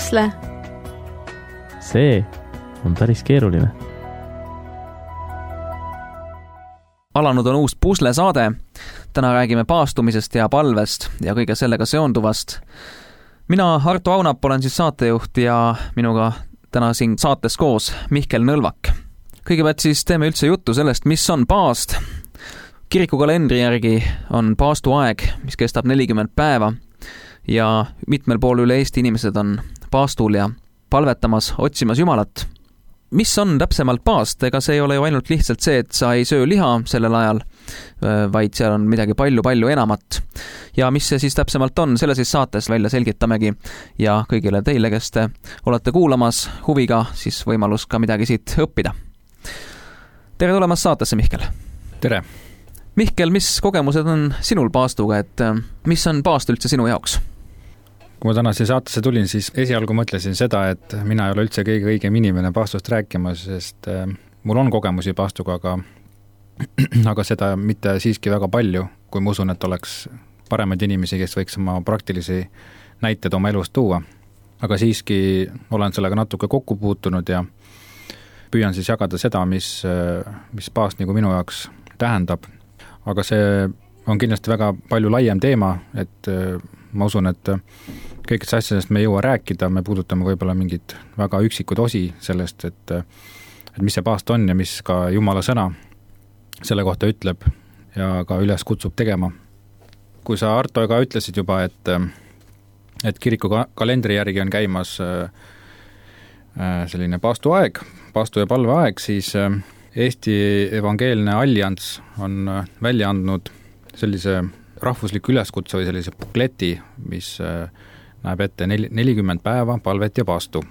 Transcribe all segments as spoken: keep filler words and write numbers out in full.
pusle? See on päris keeruline. Alanud on uus pusle saade. Täna räägime paastumisest ja palvest ja kõige sellega seonduvast. Mina, Arto Aunap, olen siis saatejuht ja minuga täna siin saates koos Mihkel Nõlvak. Kõigepealt siis teeme üldse juttu sellest, mis on paast. Kiriku kalendri järgi on paastu aeg, mis kestab nelikümmend päeva ja mitmel pool üle Eesti inimesed on paastul ja palvetamas, otsimas Jumalat. Mis on täpsemalt paast? Ega see ei ole ju ainult lihtsalt see, et sa ei söö liha sellel ajal, vaid seal on midagi palju-palju enamat. Ja mis see siis täpsemalt on, selle siis saates välja selgitamegi ja kõigile teile, kes te olete kuulamas huviga, siis võimalus ka midagi siit õppida. Tere tulemast saatesse, Mihkel. Tere. Mihkel, mis kogemused on sinul paastuga, et mis on paast üldse sinu jaoks? Kui ma täna siia saatesse tulin, siis esialgu mõtlesin seda, et mina ei ole üldse kõige õigem inimene paastust rääkima, sest mul on kogemusi paastuga, aga, aga seda mitte siiski väga palju, kui ma usun, et oleks paremaid inimesi, kes võiks oma praktilisi näited oma elust tuua. Aga siiski olen sellega natuke kokku puutunud ja püüan siis jagada seda, mis, mis paast nagu minu jaoks tähendab. Aga see on kindlasti väga palju laiem teema, et ma usun, et kõigist asjadest me ei jõua rääkida, me puudutame võib-olla mingid väga üksikud osi sellest, et, et mis see paast on ja mis ka Jumala sõna selle kohta ütleb ja ka üles kutsub tegema. Kui sa, Arto, ka ütlesid juba, et, et kiriku kalendri järgi on käimas selline paastu aeg, paastu ja palve aeg, siis Eesti Evangeelne Allianss on välja andnud sellise rahvusliku üleskutse või sellise bukleti, mis näeb ette nelikümmend päeva palvet ja paastu.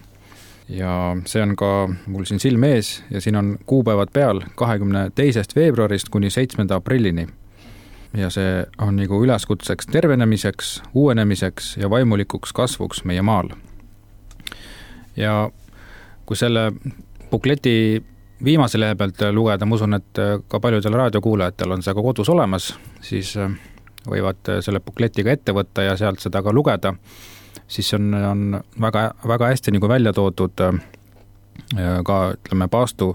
Ja see on ka mul siin silme ees ja siin on kuupäevad peal kahekümne teisest veebruarist kuni seitsmenda aprillini. Ja see on nagu üleskutseks tervenemiseks, uuenemiseks ja vaimulikuks kasvuks meie maal. Ja kui selle bukleti viimase lehe pealt lugeda, ma usun, et ka paljudel raadiokuulajatel on see ka kodus olemas, siis võivad selle bukletiga ette võtta ja sealt seda ka lugeda, siis on, on väga, väga hästi nagu välja toodud ka, ütleme, paastu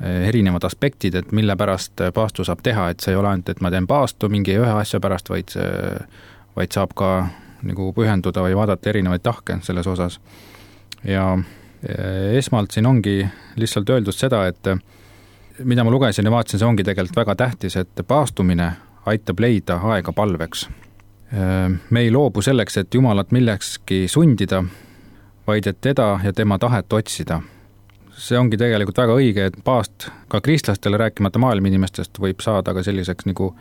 erinevad aspektid, et mille pärast paastu saab teha, et see ei ole ainult, et ma teen paastu mingi ühe asja pärast, vaid, vaid saab ka nagu pühenduda või vaadata erinevaid tahke selles osas. Ja esmalt siin ongi lihtsalt öeldud seda, et mida ma lugesin ja vaatasin, see ongi tegelikult väga tähtis, et paastumine aitab leida aega palveks. Me ei loobu selleks, et Jumalat millekski sundida, vaid et teda ja tema tahet otsida. See ongi tegelikult väga õige, et paast ka kristlastele rääkimata maailma inimestest võib saada ka selliseks nagu,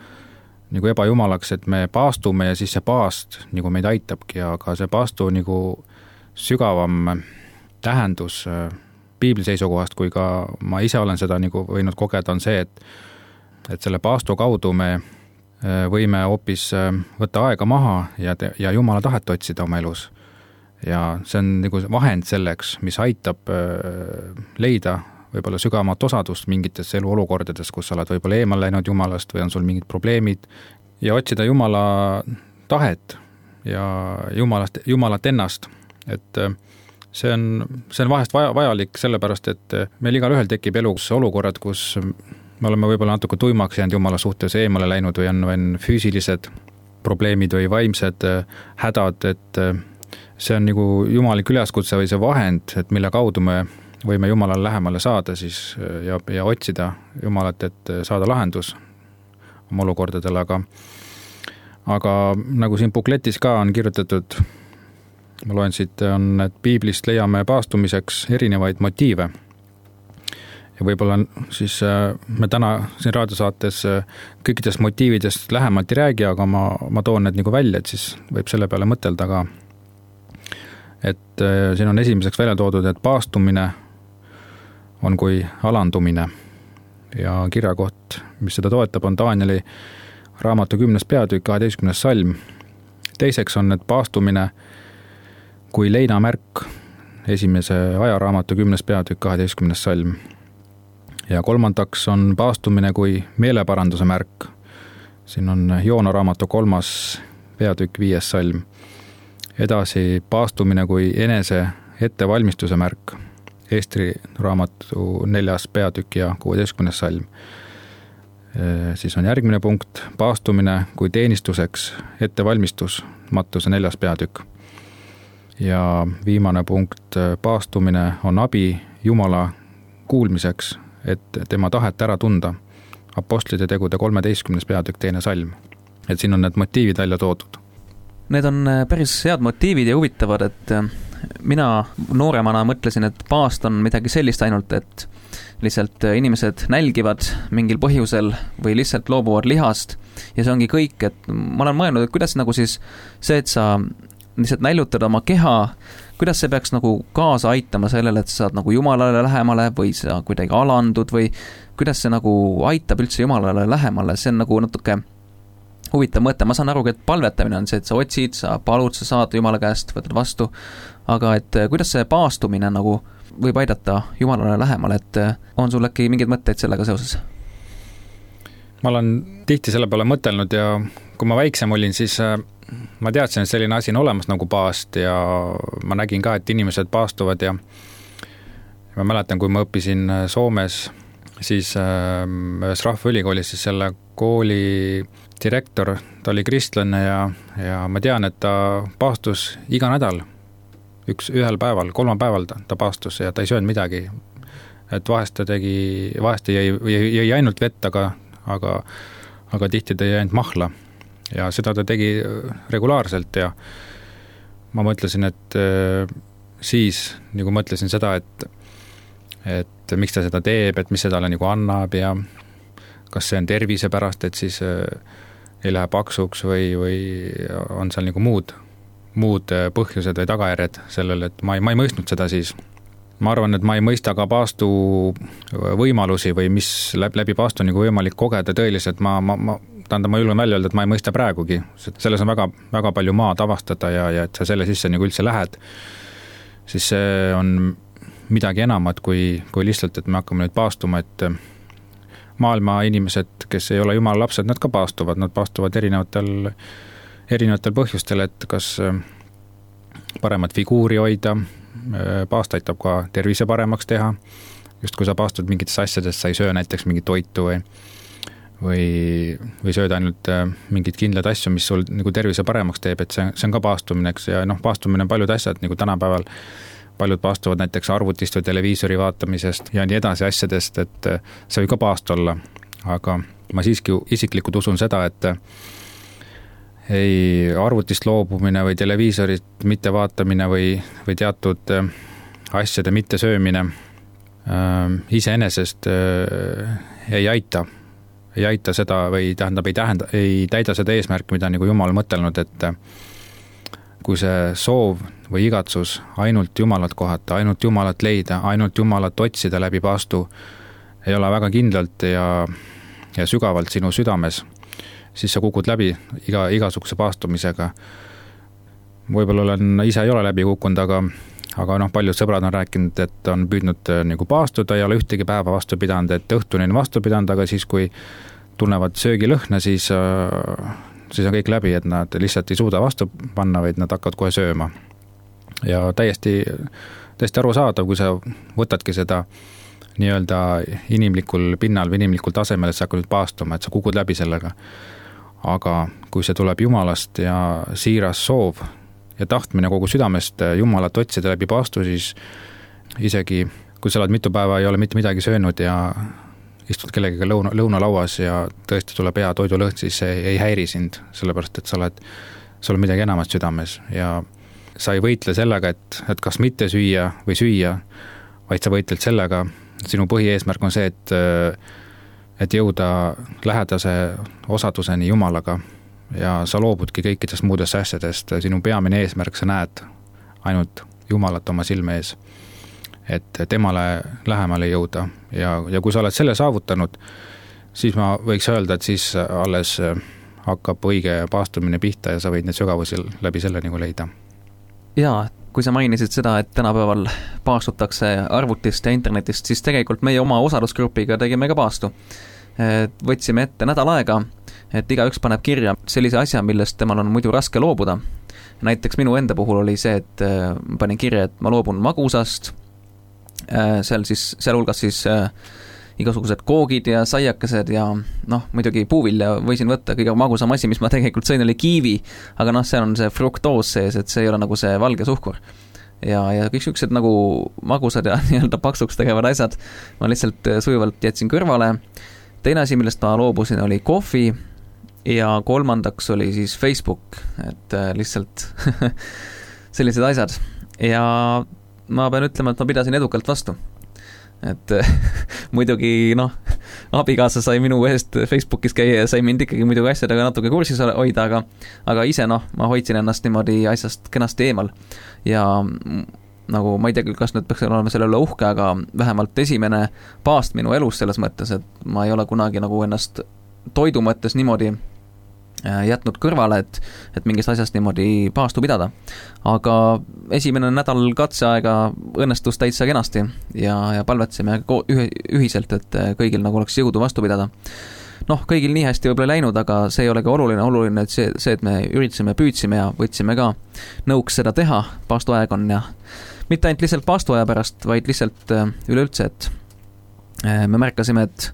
nagu ebajumalaks, et me paastume ja siis see paast nagu meid aitabki, aga see paastu nagu sügavam tähendus piibli seisukohast, kui ka ma ise olen seda nagu võinud kogeda, on see, et, et selle paastu kaudu me võime hoopis võtta aega maha ja, ja Jumala tahet otsida oma elus. Ja see on nagu vahend selleks, mis aitab leida võib-olla sügavamat osadust mingites eluolukordades, kus sa oled võib-olla eemal läinud Jumalast või on sul mingid probleemid ja otsida Jumala tahet ja Jumalast, Jumalat ennast, et see on, see on vahest vaja, vajalik sellepärast, et meil igal ühel tekib elus olukorrad, kus me oleme võib-olla natuke tuimaks jäänud Jumala suhtes eemale läinud või on, on füüsilised probleemid või vaimsed hädad, et see on nagu jumalik üleskutse või see vahend, et mille kaudu me võime Jumalale lähemale saada siis ja, ja otsida Jumalat, et saada lahendus oma olukordadele, aga, aga nagu siin bukletis ka on kirjutatud, ma loen siit, on, et piiblist leiame paastumiseks erinevaid motiive. Ja võib-olla siis me täna siin raadiosaates kõikidest motiividest lähemalt ei räägi, aga ma, ma toon need nagu välja, et siis võib selle peale mõtelda ka. Et siin on esimeseks välja toodud, et paastumine on kui alandumine ja kirjakoht, mis seda toetab, on Taanieli raamatu kümnes peatükk, kaheteistkümnes salm. Teiseks on, et paastumine kui leinamärk, esimese ajaraamatu kümnes peatükk, kaheteistkümnes salm. Ja kolmandaks on paastumine kui meeleparanduse märk. Siin on Joona raamatu kolmas peatükk, viies salm. Edasi paastumine kui enese ettevalmistuse märk, Eesti raamatu neljas peatükk ja kuueteistkümnes salm. Siis on järgmine punkt, paastumine kui teenistuseks, ettevalmistus, Mattuse neljas peatükk. Ja viimane punkt, paastumine on abi Jumala kuulmiseks, et tema tahet ära tunda, Apostlite tegude kolmeteistkümnes peatükk, teine salm. Et siin on need motiivid välja toodud. Need on päris head motiivid ja huvitavad, et mina nooremana mõtlesin, et paast on midagi sellist ainult, et lihtsalt inimesed nälgivad mingil põhjusel või lihtsalt loobuvad lihast ja see ongi kõik, et ma olen mõelnud, et kuidas nagu siis see, et sa lihtsalt näljutad oma keha, kuidas see peaks nagu kaasa aitama sellele, et sa saad nagu Jumalale lähemale või sa kuidagi alandud või kuidas see nagu aitab üldse Jumalale lähemale, see on nagu natuke huvitav mõte, ma saan aru, et palvetamine on see, et sa otsid, sa palud, sa saad Jumala käest, võtad vastu, aga et kuidas see paastumine nagu võib aidata Jumalale lähemale, et on sul äkki mingeid mõtteid sellega seoses? Ma olen tihti selle peale mõtelnud ja kui ma väiksem olin, siis ma teadsin, et selline asi on olemas nagu paast ja ma nägin ka, et inimesed paastuvad ja ma mäletan, kui ma õppisin Soomes, siis ühes rahvaülikoolis, siis selle kooli direktor, ta oli kristlane ja, ja ma tean, et ta paastus iga nädal, üks ühel päeval, kolmapäeval ta, ta paastus ja ta ei söönud midagi. Et vahest ta tegi, vahest jäi, jäi ainult vett, aga, aga, aga tihti ta jäi ainult mahla ja seda ta tegi regulaarselt ja ma mõtlesin, et siis nagu mõtlesin seda, et, et miks ta seda teeb, et mis see talle nagu annab ja kas see on tervise pärast, et siis ei lähe paksuks või, või on seal nagu muud, muud põhjused või tagajärjed sellele, et ma ei, ma ei mõistnud seda siis. Ma arvan, et ma ei mõista ka paastu võimalusi või mis läbi, läbi paastu nagu võimalik kogeda tõeliselt. Ma, ma, ma, tähendab, ma julgen välja öelda, et ma ei mõista praegugi. Selles on väga, väga palju maad avastada ja, ja et sa selle sisse nagu üldse lähed, siis see on midagi enamat kui, kui lihtsalt, et me hakkame nüüd paastuma, et maailma inimesed, kes ei ole Jumala lapsed, nad ka paastuvad, nad paastuvad erinevatel, erinevatel põhjustel, et kas paremat figuuri hoida, paast aitab ka tervise paremaks teha, just kui sa paastud mingitest asjadest, sa ei söö näiteks mingit toitu või, või, või sööd ainult mingid kindlad asju, mis sul nagu tervise paremaks teeb, et see, see on ka paastumine, eks, ja noh, paastumine on paljud asjad, nagu tänapäeval paljud paastuvad näiteks arvutist või televiisori vaatamisest ja nii edasi asjadest, et see võib ka paast olla, aga ma siiski isiklikult usun seda, et ei arvutist loobumine või televiisorit mitte vaatamine või, või teatud asjade mitte söömine äh, iseenesest äh, ei aita, ei aita seda või tähendab, ei tähenda, ei täida seda eesmärki, mida nagu Jumal mõtelnud, et kui see soov või igatsus ainult Jumalat kohata, ainult Jumalat leida, ainult Jumalat otsida läbi paastu ei ole väga kindlalt ja, ja sügavalt sinu südames, siis sa kukud läbi iga, igasuguse paastumisega. Võib-olla olen, ise ei ole läbi kukkunud, aga, aga noh, paljud sõbrad on rääkinud, et on püüdnud nagu paastuda, ei ole ühtegi päeva vastu pidanud, et õhtuni on vastu pidanud, aga siis kui tunnevad söögilõhna, siis siis on kõik läbi, et nad lihtsalt ei suuda vastu panna, vaid nad hakkavad kohe sööma. Ja täiesti, täiesti arusaadav, kui sa võtadki seda nii-öelda inimlikul pinnal või inimlikul tasemel, et sa hakkad nüüd paastuma, et sa kukud läbi sellega. Aga kui see tuleb Jumalast ja siiras soov ja tahtmine kogu südamest Jumalat otsida läbi paastu, siis isegi kui sa oled mitu päeva ei ole mitte midagi söönud ja istud kellegiga lõuna, lõunalauas ja tõesti tuleb hea toidulõhn, siis see ei häiri sind, sellepärast et sa oled, sa oled midagi enamat südames ja sa ei võitle sellega, et, et kas mitte süüa või süüa, vaid sa võitled sellega, sinu põhieesmärk on see, et, et jõuda lähedase osaduseni Jumalaga ja sa loobudki kõikidest muudest asjadest, sinu peamine eesmärk, sa näed ainult Jumalat oma silme ees, et temale lähemale jõuda ja, ja kui sa oled selle saavutanud, siis ma võiks öelda, et siis alles hakkab õige paastumine pihta ja sa võid need sügavusi läbi selle nagu leida. Jaa, kui sa mainisid seda, et tänapäeval paastutakse arvutist ja internetist, siis tegelikult meie oma osalusgrupiga tegime ka paastu. Võtsime ette nädal aega, et igaüks paneb kirja sellise asja, millest temal on muidu raske loobuda. näiteks minu enda puhul oli see, et ma panin kirja, et ma loobun magusast, seal siis, seal hulgas siis igasugused koogid ja saiakesed ja noh, muidugi puuvilja võisin võtta, kõige magusam asi, mis ma tegelikult sõin, oli kiivi, aga noh, see on see fruktoos sees, et see ei ole nagu see valge suhkur. Ja, ja kõik siuksed nagu magusad ja nii-öelda paksuks tegevad asjad ma lihtsalt sujuvalt jätsin kõrvale. Teine asi, millest ma loobusin, oli kohvi ja kolmandaks oli siis Facebook, et lihtsalt sellised asjad. Ja ma pean ütlema, et ma pidasin edukalt vastu. Et muidugi noh, abikaasa sai minu eest Facebookis käia ja sai mind ikkagi muidugi asjadega natuke kursis hoida, aga, aga ise noh, ma hoidsin ennast niimoodi asjast kenasti eemal. Ja nagu ma ei tea, kas nüüd peaks olema selle üle uhke, aga vähemalt esimene paast minu elus selles mõttes, et ma ei ole kunagi nagu ennast toidu mõttes niimoodi jätnud kõrvale, et, et mingist asjast niimoodi paastu pidada. Aga esimene nädal katseaega õnnestus täitsa kenasti ja, ja palvetsime ühiselt, et kõigil nagu oleks jõudu vastu pidada. Noh, kõigil nii hästi võib-olla läinud, aga see ei olegi oluline, oluline, et see, see, et me üritasime, püüdsime ja võtsime ka nõuks seda teha, paastuaeg on ja mitte ainult lihtsalt paastuaja pärast, vaid lihtsalt üleüldse, et me märkasime, et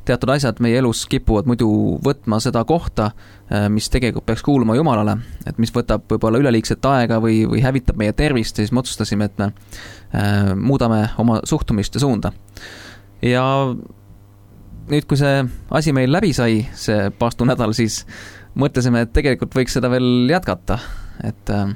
teatud asjad meie elus kipuvad muidu võtma seda kohta, mis tegelikult peaks kuuluma Jumalale, et mis võtab võib-olla üleliigset aega või, või hävitab meie tervist, siis me otsustasime, et me äh, muudame oma suhtumist ja suunda. Ja nüüd, kui see asi meil läbi sai, see paastunädal, siis mõtlesime, et tegelikult võiks seda veel jätkata, et äh,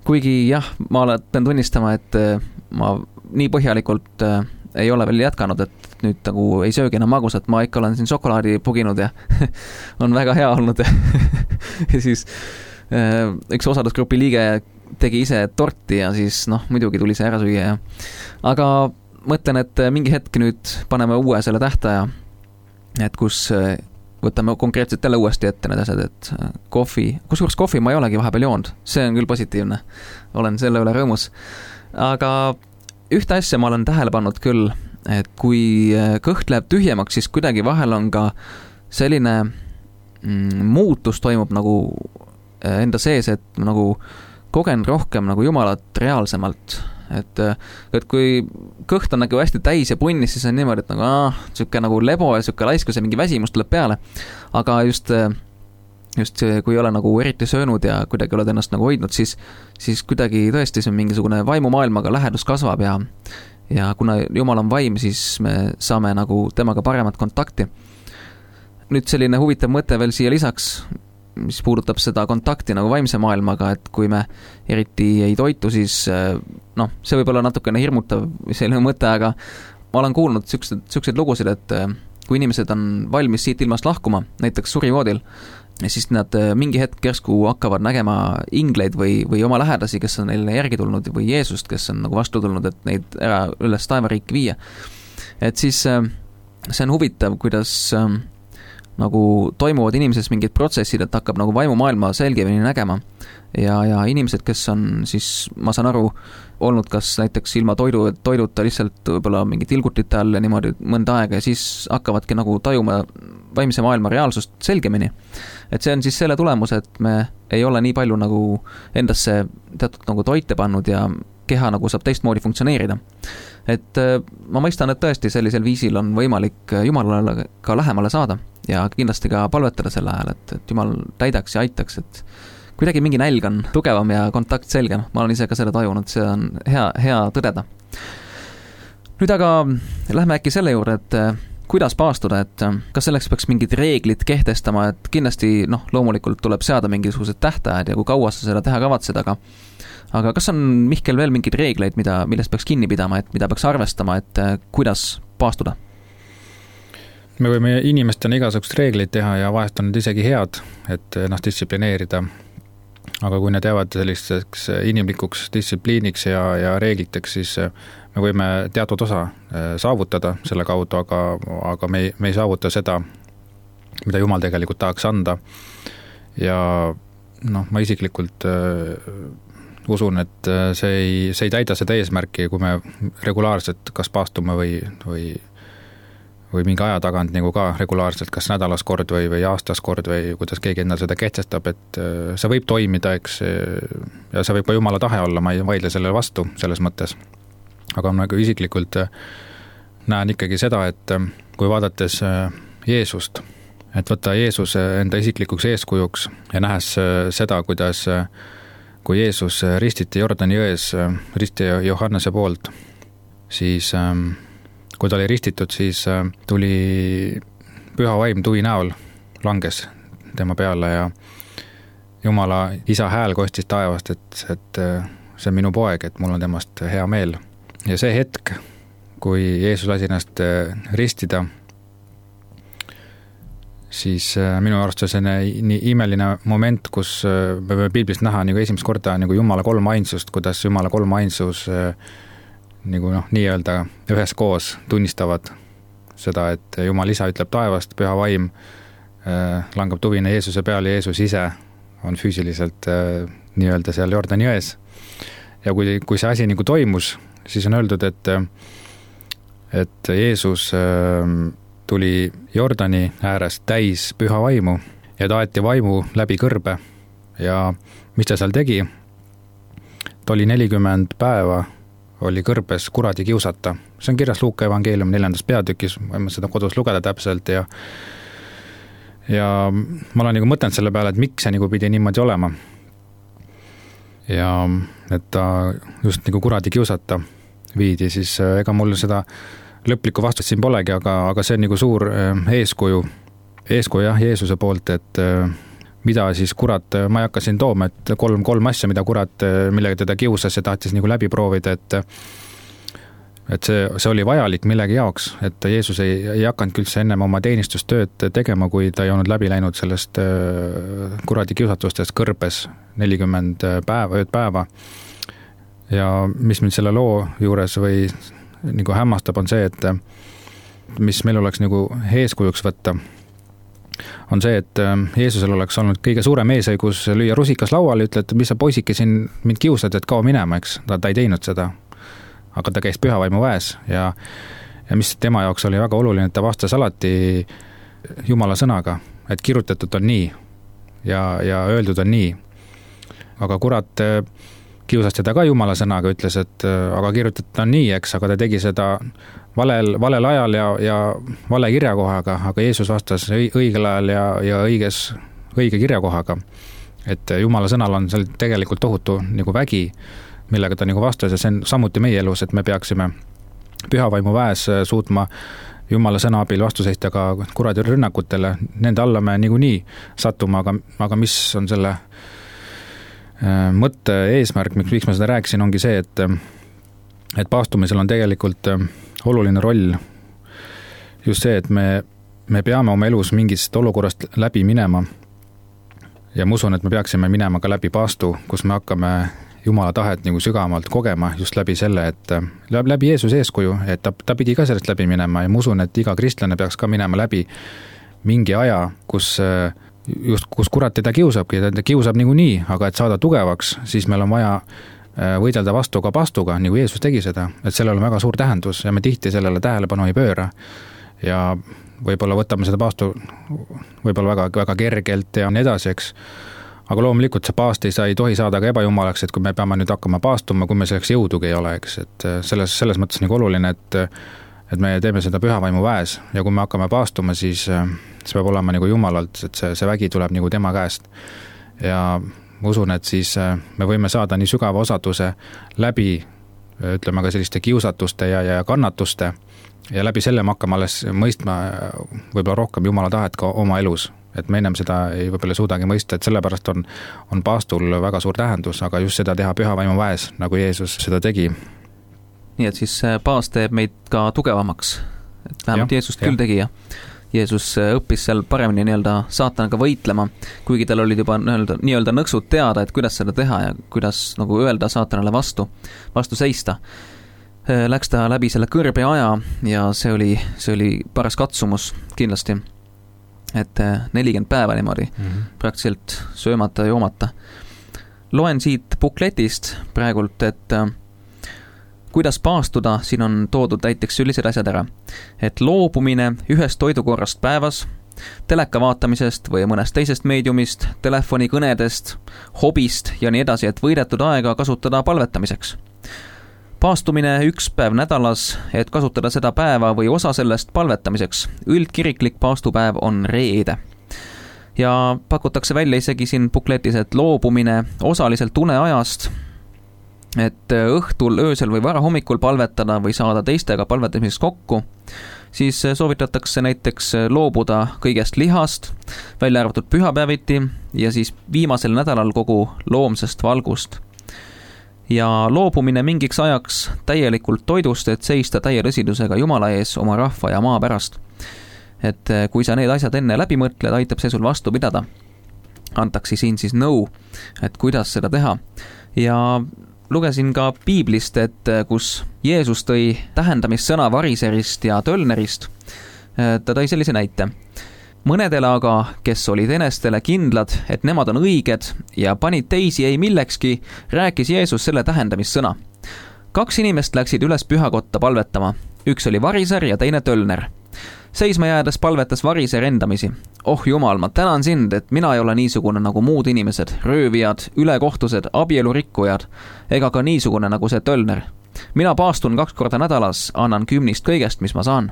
kuigi jah, ma pean tunnistama, et äh, ma nii põhjalikult äh, ei ole veel jätkanud, et nüüd nagu ei söögi enam magusat, ma ikka olen siin šokolaadi puginud ja on väga hea olnud ja siis äh, üks osalusgrupi liige tegi ise torti ja siis noh, muidugi tuli see ära süüa ja aga mõtlen, et mingi hetk nüüd paneme uue selle tähtaja, et kus võtame konkreetselt jälle uuesti ette need asjad, et kohvi, kusjuures kohvi ma ei olegi vahepeal joonud, see on küll positiivne, olen selle üle rõõmus, aga ühte asja ma olen tähele pannud küll, et kui kõht läheb tühjemaks, siis kuidagi vahel on ka selline mm, muutus toimub nagu enda sees, et nagu kogen rohkem nagu Jumalat reaalsemalt. Et, et kui kõht on nagu hästi täis ja punnis, siis on niimoodi, et nagu ah, sükke nagu lebo ja sükke laiskus ja mingi väsimus tuleb peale. Aga just, just kui ei ole nagu eriti söönud ja kuidagi oled ennast nagu hoidnud, siis, siis kuidagi tõesti see mingisugune vaimumaailmaga lähedus kasvab ja ja kuna Jumal on vaim, siis me saame nagu temaga paremat kontakti. Nüüd selline huvitav mõte veel siia lisaks, mis puudutab seda kontakti nagu vaimse maailmaga, et kui me eriti ei toitu, siis noh, see võib olla natukene hirmutav selline mõte, aga ma olen kuulnud siukseid, siukseid lugusid, et kui inimesed on valmis siit ilmast lahkuma, näiteks surivoodil, siis nad mingi hetk järsku hakkavad nägema ingleid või, või oma lähedasi, kes on neile järgi tulnud või Jeesust, kes on nagu vastu tulnud, et neid ära üles taevariiki viia. Et siis see on huvitav, kuidas nagu toimuvad inimeses mingid protsessid, et hakkab nagu vaimumaailma selgemini nägema. Ja, ja inimesed, kes on siis, ma saan aru, olnud kas näiteks ilma toidu, toiduta lihtsalt võib-olla mingi tilgutite all ja niimoodi mõnda aega ja siis hakkavadki nagu tajuma vaimse maailma reaalsust selgemini. Et see on siis selle tulemus, et me ei ole nii palju nagu endasse teatud nagu toite pannud ja keha nagu saab teistmoodi funktsioneerida. Et ma mõistan, et tõesti sellisel viisil on võimalik Jumalale ka lähemale saada ja kindlasti ka palvetada selle ajal, et, et Jumal täidaks ja aitaks, et kuidagi mingi nälg on tugevam ja kontakt selgem. Ma olen ise ka seda tajunud, see on hea, hea tõdeda. Nüüd aga lähme äkki selle juurde, et kuidas paastuda, et kas selleks peaks mingid reeglid kehtestama, et kindlasti noh, loomulikult tuleb seada mingisugused tähtajad ja kui kaua sa seda teha kavatsed, aga aga kas on Mihkel veel mingeid reegleid, mida, millest peaks kinni pidama, et mida peaks arvestama, et kuidas paastuda? Me võime inimestena igasugust reegleid teha ja vahest on need isegi head, et ennast distsiplineerida. Aga kui need jäävad selliseks inimlikuks distsipliiniks ja, ja reegliteks, siis me võime teatud osa saavutada selle kaudu, aga, aga me, ei, me ei saavuta seda, mida Jumal tegelikult tahaks anda. Ja noh, ma isiklikult usun, et see ei, see ei täida seda eesmärki, kui me regulaarselt kas paastume või, või, või mingi aja tagant nagu ka regulaarselt, kas nädalas kord või, või aastas kord või kuidas keegi endal seda kehtestab, et see võib toimida, eks, ja see võib ka Jumala tahe olla, ma ei vaidle sellele vastu selles mõttes. Aga ma nagu isiklikult näen ikkagi seda, et kui vaadates Jeesust, et võtta Jeesus enda isiklikuks eeskujuks ja nähes seda, kuidas kui Jeesus ristiti Jordani jões, risti Johannese poolt, siis kui ta oli ristitud, siis tuli püha vaim tuvi näol, langes tema peale ja Jumala isa hääl kostis taevast, et, et see on minu poeg, et mul on temast hea meel. Ja see hetk, kui Jeesus lasi ennast ristida, siis minu arust see on nii imeline moment, kus me võime piiblist näha nagu esimest korda nagu Jumala kolm ainsust, kuidas Jumala kolm ainsus nagu noh, nii-öelda ühes koos tunnistavad seda, et Jumal isa ütleb taevast, püha vaim langab tuvine Jeesuse peale, Jeesus ise on füüsiliselt nii-öelda seal Jordani jões. Ja kui, kui see asi nagu toimus, siis on öeldud, et, et Jeesus tuli Jordani äärest täis püha vaimu ja ta aeti vaimu läbi kõrbe ja mis ta seal tegi? Ta oli nelikümmend päeva oli kõrbes kuradi kiusata. See on kirjas Luuka evangeelium neljandas peatükis, võime seda kodus lugeda täpselt ja ja ma olen nagu mõtelnud selle peale, et miks see nagu pidi niimoodi olema. Ja et ta just nagu kuradi kiusata viidi, siis ega mul seda lõplikku vastust siin polegi, aga, aga see on nagu suur eeskuju, eeskuju jah, Jeesuse poolt, et mida siis kurat, ma ei hakka siin tooma, et kolm, kolm asja, mida kurat, millega teda kiusas ja tahtis nagu läbi proovida, et et see, see oli vajalik millegi jaoks, et Jeesus ei, ei hakanud küldse ennem oma teenistustööd tegema, kui ta ei olnud läbi läinud sellest kuradi kiusatustest kõrbes nelikümmend päeva, ööd päeva. Ja mis mind selle loo juures või nagu hämmastab on see, et mis meil oleks nagu eeskujuks võtta, on see, et Jeesusel oleks olnud kõige suurem eesõigus lüüa rusikas lauale, ütle, et mis sa poisike siin mind kiusad, et kao minema, eks, ta, ta ei teinud seda. Aga ta käis pühavaimu väes ja, ja mis tema jaoks oli väga oluline, et ta vastas alati Jumala sõnaga, et kirjutatud on nii ja, ja öeldud on nii. Aga kurat kiusas teda ka Jumala sõnaga, ütles, et aga kirjutatud on nii, eks, aga ta tegi seda valel, valel ajal ja, ja vale kirjakohaga, aga Jeesus vastas õigel ajal ja, ja õiges, õige kirjakohaga. Et Jumala sõnal on seal tegelikult tohutu nagu vägi, millega ta nagu vastas ja see on samuti meie elus, et me peaksime pühavaimu väes suutma Jumala sõna abil vastu seista ka kuradi rünnakutele, nende alla me niikuinii sattuma, aga, aga mis on selle mõtte eesmärk, miks ma seda rääkisin, ongi see, et, et paastumisel on tegelikult oluline roll just see, et me, me peame oma elus mingist olukorrast läbi minema ja ma usun, et me peaksime minema ka läbi paastu, kus me hakkame Jumala tahet nagu sügavamalt kogema just läbi selle, et läbi Jeesus eeskuju, et ta, ta pidi ka sellest läbi minema ja ma usun, et iga kristlane peaks ka minema läbi mingi aja, kus, just, kus kurat teda kiusabki, ta kiusab niikuinii, aga et saada tugevaks, siis meil on vaja võidelda vastu ka paastuga, nagu Jeesus tegi seda, et sellel on väga suur tähendus ja me tihti sellele tähelepanu ei pööra ja võib-olla võtame seda paastu võib-olla väga, väga kergelt ja nii edasi, eks. Aga loomulikult see paast ei, saa, ei tohi saada ka ebajumalaks, et kui me peame nüüd hakkama paastuma, kui me selleks jõudugi ei ole, eks, et selles, selles mõttes nagu oluline, et, et me teeme seda pühavaimu väes ja kui me hakkame paastuma, siis see peab olema nagu Jumalalt, et see, see vägi tuleb nagu tema käest. Ja ma usun, et siis me võime saada nii sügava osaduse läbi, ütleme ka selliste kiusatuste ja, ja kannatuste ja läbi selle me hakkame alles mõistma võib-olla rohkem Jumala tahet ka oma elus. Et me ennem seda ei võib-olla suudagi mõista, et sellepärast on, on paastul väga suur tähendus, aga just seda teha pühavaimu väes, nagu Jeesus seda tegi. Nii et siis paast teeb meid ka tugevamaks, et vähemalt ja, Jeesust ja. Küll tegi ja Jeesus õppis seal paremini nii-öelda saatanaga võitlema, kuigi tal olid juba nii-öelda, nii-öelda nõksud teada, et kuidas seda teha ja kuidas nagu öelda saatanale vastu, vastu seista. Läks ta läbi selle kõrbe aja ja see oli, see oli paras katsumus kindlasti. Et nelikümmend päeva niimoodi mm-hmm. praktiliselt söömata ja joomata. Loen siit bukletist praegult, et kuidas paastuda, siin on toodud näiteks sellised asjad ära, et loobumine ühest toidukorrast päevas, teleka vaatamisest või mõnest teisest meediumist, telefonikõnedest, hobist ja nii edasi, et võidetud aega kasutada palvetamiseks. Paastumine üks päev nädalas, et kasutada seda päeva või osa sellest palvetamiseks. Üldkiriklik paastupäev on reede. Ja pakutakse välja isegi siin bukletis, et loobumine osaliselt uneajast, et õhtul, öösel või varahommikul palvetada või saada teistega palvetamiseks kokku, siis soovitatakse näiteks loobuda kõigest lihast, välja arvatud pühapäeviti ja siis viimasel nädalal kogu loomsest valgust. Ja loobumine mingiks ajaks täielikult toidust, et seista täie tõsidusega Jumala ees oma rahva ja maa pärast. Et kui sa need asjad enne läbi mõtled, aitab see sul vastu pidada. Antaksi siin siis nõu, et kuidas seda teha. Ja lugesin ka piiblist, et kus Jeesus tõi tähendamissõna variserist ja tölnerist, ta tõi sellise näite. Mõnedele aga, kes olid enestele kindlad, et nemad on õiged ja panid teisi ei millekski, rääkis Jeesus selle tähendamissõna. Kaks inimest läksid üles pühakotta palvetama. Üks oli variser ja teine tölner. Seisma jäädes palvetas variser endamisi. Oh Jumal, ma tänan sind, et mina ei ole niisugune nagu muud inimesed, röövijad, ülekohtused, abielurikkujad, ega ka niisugune nagu see tölner. Mina paastun kaks korda nädalas, annan kümnist kõigest, mis ma saan.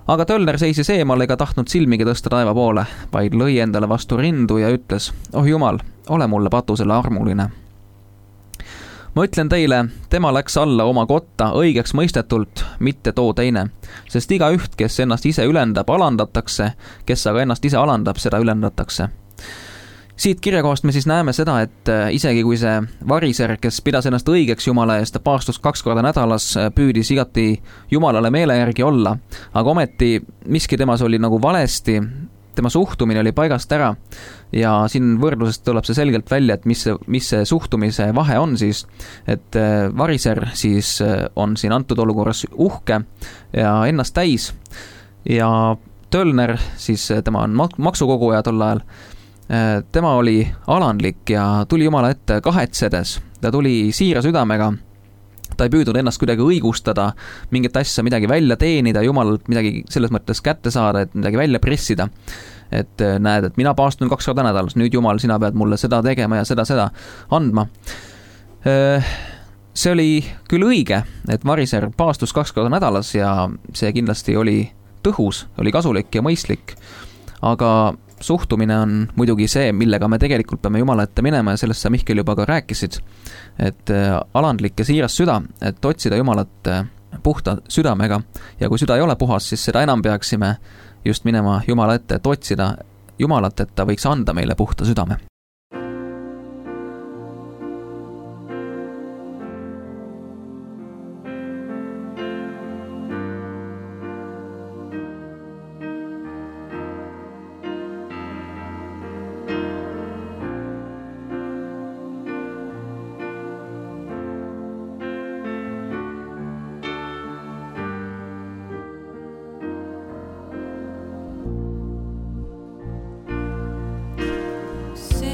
Aga tölner seisis eemal ega tahtnud silmigi tõsta taeva poole, vaid lõi endale vastu rindu ja ütles, oh Jumal, ole mulle patusele armuline. Ma ütlen teile, tema läks alla oma kotta õigeks mõistetult, mitte too teine, sest iga üht, kes ennast ise ülendab, alandatakse, kes aga ennast ise alandab, seda ülendatakse. Siit kirjakohast me siis näeme seda, et isegi kui see variser, kes pidas ennast õigeks Jumala eest, paastus kaks korda nädalas, püüdis igati Jumalale meele järgi olla, aga ometi miski temas oli nagu valesti, tema suhtumine oli paigast ära ja siin võrdlusest tuleb see selgelt välja, et mis see, mis see suhtumise vahe on siis, et variser siis on siin antud olukorras uhke ja ennast täis ja tölner siis, tema on maksukoguja tol ajal, tema oli alandlik ja tuli Jumala ette kahetsedes, ta tuli siira südamega, ta ei püüdnud ennast kuidagi õigustada, mingit asja midagi välja teenida, Jumalalt midagi selles mõttes kätte saada, et midagi välja pressida. Et näed, et mina paastun kaks korda nädalas, nüüd Jumal, sina pead mulle seda tegema ja seda, seda andma. See oli küll õige, et variser paastus kaks korda nädalas ja see kindlasti oli tõhus, oli kasulik ja mõistlik, aga suhtumine on muidugi see, millega me tegelikult peame Jumala ette minema ja sellest sa Mihkel juba ka rääkisid, et alandlik ja siiras süda, et otsida Jumalat puhta südamega ja kui süda ei ole puhas, siis seda enam peaksime just minema Jumala ette, et otsida Jumalat, et ta võiks anda meile puhta südame. See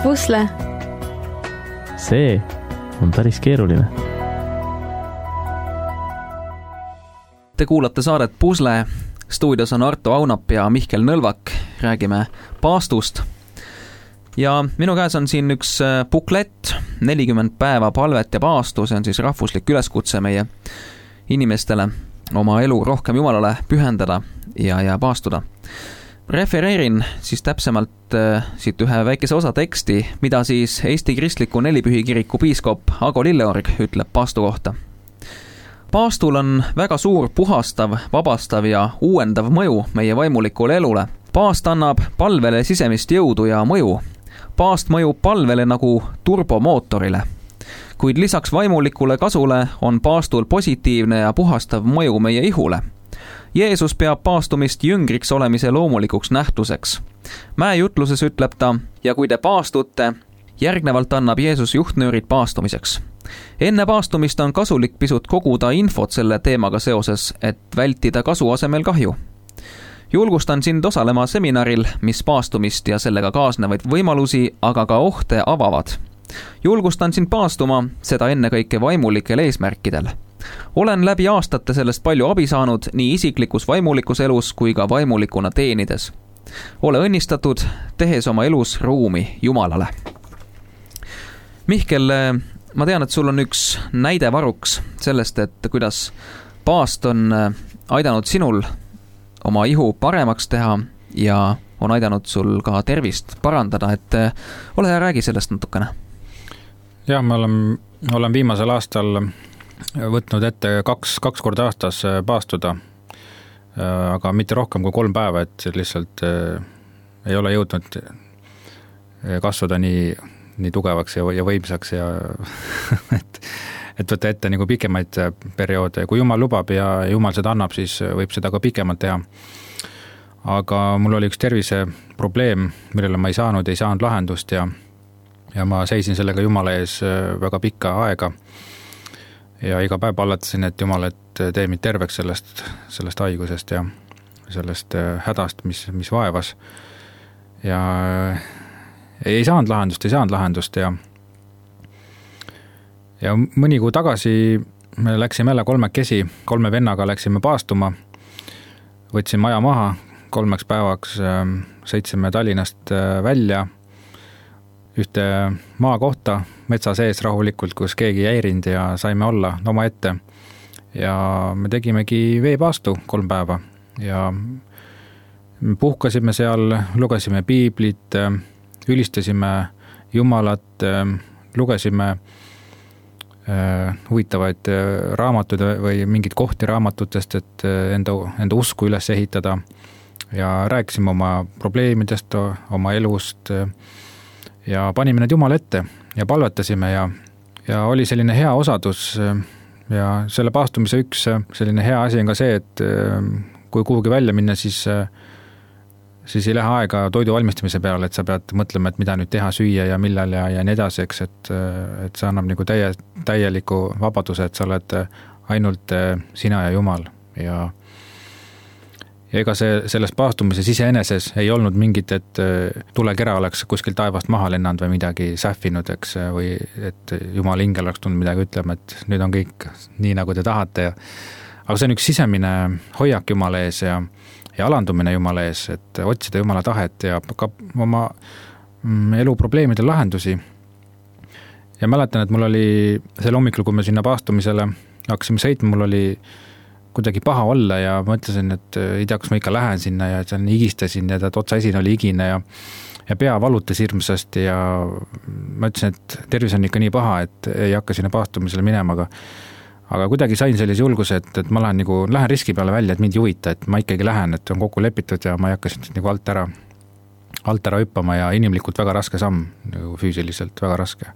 Pusle. See on päris keeruline. Te kuulate saadet Pusle. Stuudios on Arto Aunap ja Mihkel Nõlvak. Räägime paastust. Ja minu käes on siin üks buklett, nelikümmend päeva palvet ja paastu. See on siis rahvuslik üleskutse meie inimestele oma elu rohkem Jumalale pühendada ja, ja paastuda. Refereerin siis täpsemalt äh, siit ühe väikese osa teksti, mida siis Eesti Kristliku Nelipühikiriku piiskop Ago Lilleorg ütleb paastu kohta. Paastul on väga suur puhastav, vabastav ja uuendav mõju meie vaimulikule elule. Paast annab palvele sisemist jõudu ja mõju. Paast mõjub palvele nagu turbomootorile. Kuid lisaks vaimulikule kasule on paastul positiivne ja puhastav mõju meie ihule. Jeesus peab paastumist jüngriks olemise loomulikuks nähtuseks. Mäejutluses ütleb ta, ja kui te paastute, järgnevalt annab Jeesus juhtnöörid paastumiseks. Enne paastumist on kasulik pisut koguda infot selle teemaga seoses, et vältida kasu asemel kahju. Julgustan sind osalema seminaril, mis paastumist ja sellega kaasnevaid võimalusi, aga ka ohte avavad. Julgustan sind paastuma, seda ennekõike vaimulikel eesmärkidel. Olen läbi aastate sellest palju abi saanud nii isiklikus vaimulikus elus kui ka vaimulikuna teenides. Ole õnnistatud, tehes oma elus ruumi Jumalale. Mihkel, ma tean, et sul on üks näide varuks sellest, et kuidas paast on aidanud sinul oma ihu paremaks teha ja on aidanud sul ka tervist parandada, et ole hea, räägi sellest natukene. Jah, ma olen, olen viimasel aastal võtnud ette kaks, kaks korda aastas paastuda, aga mitte rohkem kui kolm päeva, et lihtsalt ei ole jõudnud kasvada nii, nii tugevaks ja, ja võimsaks ja et, et võtta ette nagu pikemaid perioode. Kui Jumal lubab ja Jumal seda annab, siis võib seda ka pikemalt teha. Aga mul oli üks tervise probleem, millele ma ei saanud, ei saanud lahendust ja, ja ma seisin sellega Jumala ees väga pikka aega. Ja iga päev pallatasin, et Jumal, et tee mind terveks sellest, sellest haigusest ja sellest hädast, mis, mis vaevas. Ja ei saanud lahendust, ei saanud lahendust ja, ja mõni kuu tagasi me läksime jälle kolmekesi, kolme vennaga läksime paastuma, võtsime maja maha, kolmeks päevaks sõitsime Tallinnast välja ühte maa kohta metsa sees rahulikult, kus keegi ei häirinud ja saime olla oma ette. Ja me tegimegi veepaastu kolm päeva ja puhkasime seal, lugesime piiblit, ülistasime Jumalat, lugesime huvitavaid raamatuid või mingid kohti raamatutest, et enda, enda usku üles ehitada ja rääkisime oma probleemidest, oma elust ja panime need Jumala ette ja palvetasime ja, ja oli selline hea osadus ja selle paastumise üks selline hea asi on ka see, et kui kuhugi välja minna, siis, siis ei lähe aega toidu valmistamise peale, et sa pead mõtlema, et mida nüüd teha, süüa ja millal ja, ja nii edasi, eks, et, et see annab nagu täie, täieliku vabaduse, et sa oled ainult sina ja Jumal ja Ja ega see, selles paastumises iseeneses ei olnud mingit, et tulekera oleks kuskil taevast maha lennanud või midagi sähvinud, eks, või et Jumala ingel oleks tulnud midagi ütlema, et nüüd on kõik nii, nagu te tahate. Ja, aga see on üks sisemine hoiak Jumala ees ja, ja alandumine Jumala ees, et otsida Jumala tahet ja ka oma elu probleemide lahendusi. Ja mäletan, et mul oli sel hommikul, kui me sinna paastumisele hakkasime sõitma, mul oli kuidagi paha olla ja mõtlesin, et ei tea, kus ma ikka lähen sinna ja seal igistasin ja ta otsa esin oli igine ja, ja pea valutas hirmsasti ja ma ütlesin, et tervis on ikka nii paha, et ei hakka sinna paastumisele minema, aga, aga kuidagi sain sellise julguse, et, et ma lähen, nagu, lähen riski peale välja, et mind juhita, et ma ikkagi lähen, et on kokku lepitud ja ma ei hakka siin nagu alt ära, alt ära hüppama ja inimlikult väga raske samm, nagu füüsiliselt väga raske.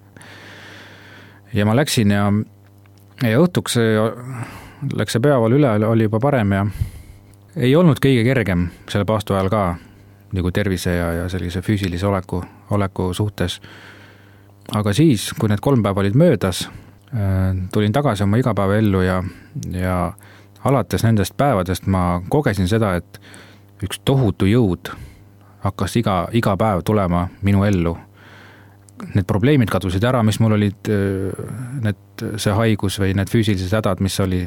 Ja ma läksin ja, ja õhtuks läks see peavalu üle, oli juba parem ja ei olnud kõige kergem selle paastu ajal ka nagu tervise ja, ja sellise füüsilise oleku, oleku suhtes. Aga siis, kui need kolm päeva olid möödas, tulin tagasi oma igapäeva ellu ja, ja alates nendest päevadest ma kogesin seda, et üks tohutu jõud hakkas iga, iga päev tulema minu ellu. need probleemid kadusid ära, mis mul olid, need, see haigus või need füüsilised hädad, mis oli,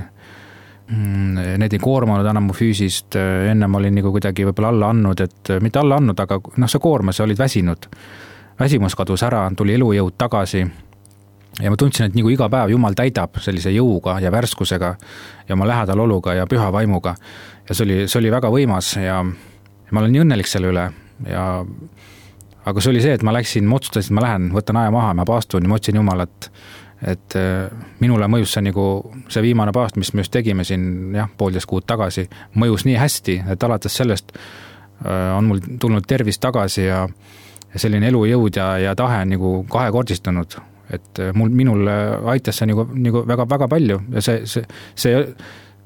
need ei koormanud enam mu füüsist, enne ma olin nagu kuidagi võib-olla alla andnud, et mitte alla andnud, aga noh, see koormas, sa olid väsinud. Väsimus kadus ära, tuli elujõud tagasi ja ma tundsin, et nagu iga päev Jumal täidab sellise jõuga ja värskusega ja oma lähedal oluga ja püha vaimuga. Ja see oli, see oli väga võimas ja, ja ma olen nii õnnelik selle üle. Ja, aga see oli see, et ma läksin, ma otsustasin, et ma lähen, võtan aja maha, ma paastun ja ma otsin Jumalat, et minule mõjus see, nagu, see viimane paast, mis me just tegime siin jah, poolteist kuud tagasi, mõjus nii hästi, et alates sellest on mul tulnud tervis tagasi ja, ja selline elujõud ja, ja tahe on nagu kahekordistunud, et mul, minul aitas see nagu, nagu väga, väga palju ja see, see, see,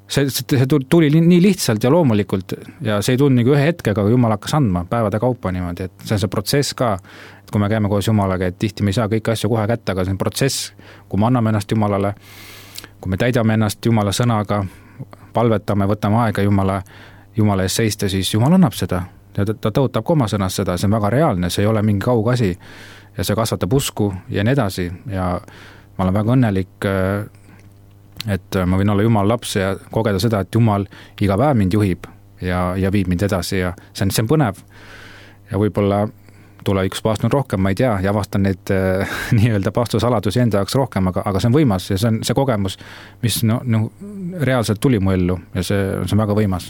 see, see tuli nii lihtsalt ja loomulikult ja see ei tulnud nagu ühe hetkega, kui Jumal hakkas andma päevade kaupa niimoodi, et see on see protsess ka, et kui me käime koos Jumalaga, et tihti me ei saa kõiki asju kohe kätte, aga see on protsess, kui me anname ennast Jumalale, kui me täidame ennast Jumala sõnaga, palvetame, võtame aega Jumala, Jumala ees seista, siis Jumal annab seda ja ta, ta tõotab ka oma sõnas seda, see on väga reaalne, see ei ole mingi kaugasi ja see kasvatab usku ja nii edasi ja ma olen väga õnnelik, et ma võin olla Jumala laps ja kogeda seda, et Jumal iga päev mind juhib ja, ja viib mind edasi ja see on, see on põnev ja võib-olla tulevikus paastun rohkem, ma ei tea, ja avastan neid äh, nii-öelda paastusaladusi enda jaoks rohkem, aga, aga see on võimas ja see on see kogemus, mis no, no, reaalselt tuli mu ellu ja see, see on väga võimas.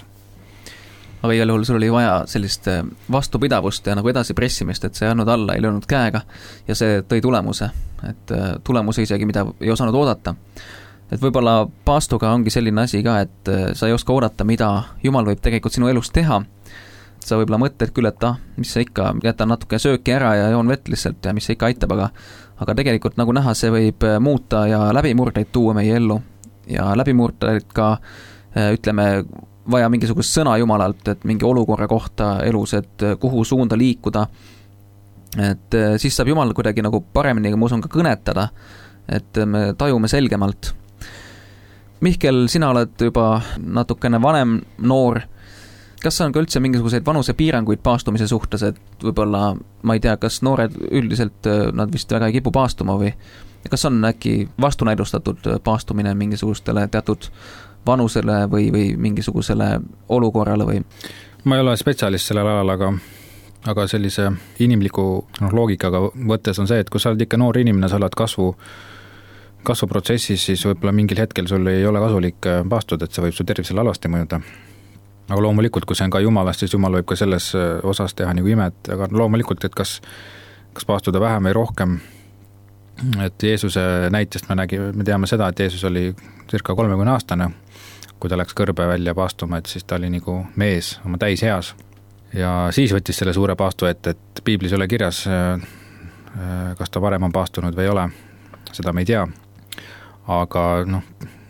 Aga igal juhul sul oli vaja sellist vastupidavust ja nagu edasi pressimist, et see ei andnud alla, ei löönud käega ja see tõi tulemuse, et tulemuse isegi, mida ei osanud oodata. Et võib-olla paastuga ongi selline asi ka, et sa ei oska oodata, mida Jumal võib tegelikult sinu elus teha. Sa võib-olla mõtled küll, et ah, mis see ikka, jätan natuke sööki ära ja joon vett lihtsalt ja mis see ikka aitab, aga, aga tegelikult nagu näha, see võib muuta ja läbimurdeid tuua meie ellu ja läbimurdeid ka, ütleme, vaja mingisugust sõna Jumalalt, et mingi olukorra kohta elus, et kuhu suunda liikuda, et siis saab Jumal kuidagi nagu paremini, ma usun, ka kõnetada, et me tajume selgemalt. Mihkel, sina oled juba natukene vanem noor, kas on ka üldse mingisuguseid vanuse piiranguid paastumise suhtes, et võib-olla, ma ei tea, kas noored üldiselt, nad vist väga ei kipu paastuma või kas on äkki vastunäidustatud paastumine mingisugustele teatud vanusele või, või mingisugusele olukorrale või? Ma ei ole spetsialist sellel alal, aga, aga sellise inimliku no, loogikaga võttes on see, et kui sa oled ikka noor inimene, sa oled kasvu, kasvuprotsessis, siis võib-olla mingil hetkel sul ei ole kasulik paastuda, et see võib su tervisele alasti mõjuda. Aga loomulikult, kui see on ka Jumalast, siis Jumal võib ka selles osas teha nagu imet, aga loomulikult, et kas, kas paastuda vähem või rohkem, et Jeesuse näitest me nägime, me teame seda, et Jeesus oli circa kolmekümne aastane, kui ta läks kõrbe välja paastuma, et siis ta oli nagu mees oma täis heas. Ja siis võttis selle suure paastu ette, et piiblis ei ole kirjas, kas ta varem on paastunud või ei ole, seda me ei tea. Aga noh,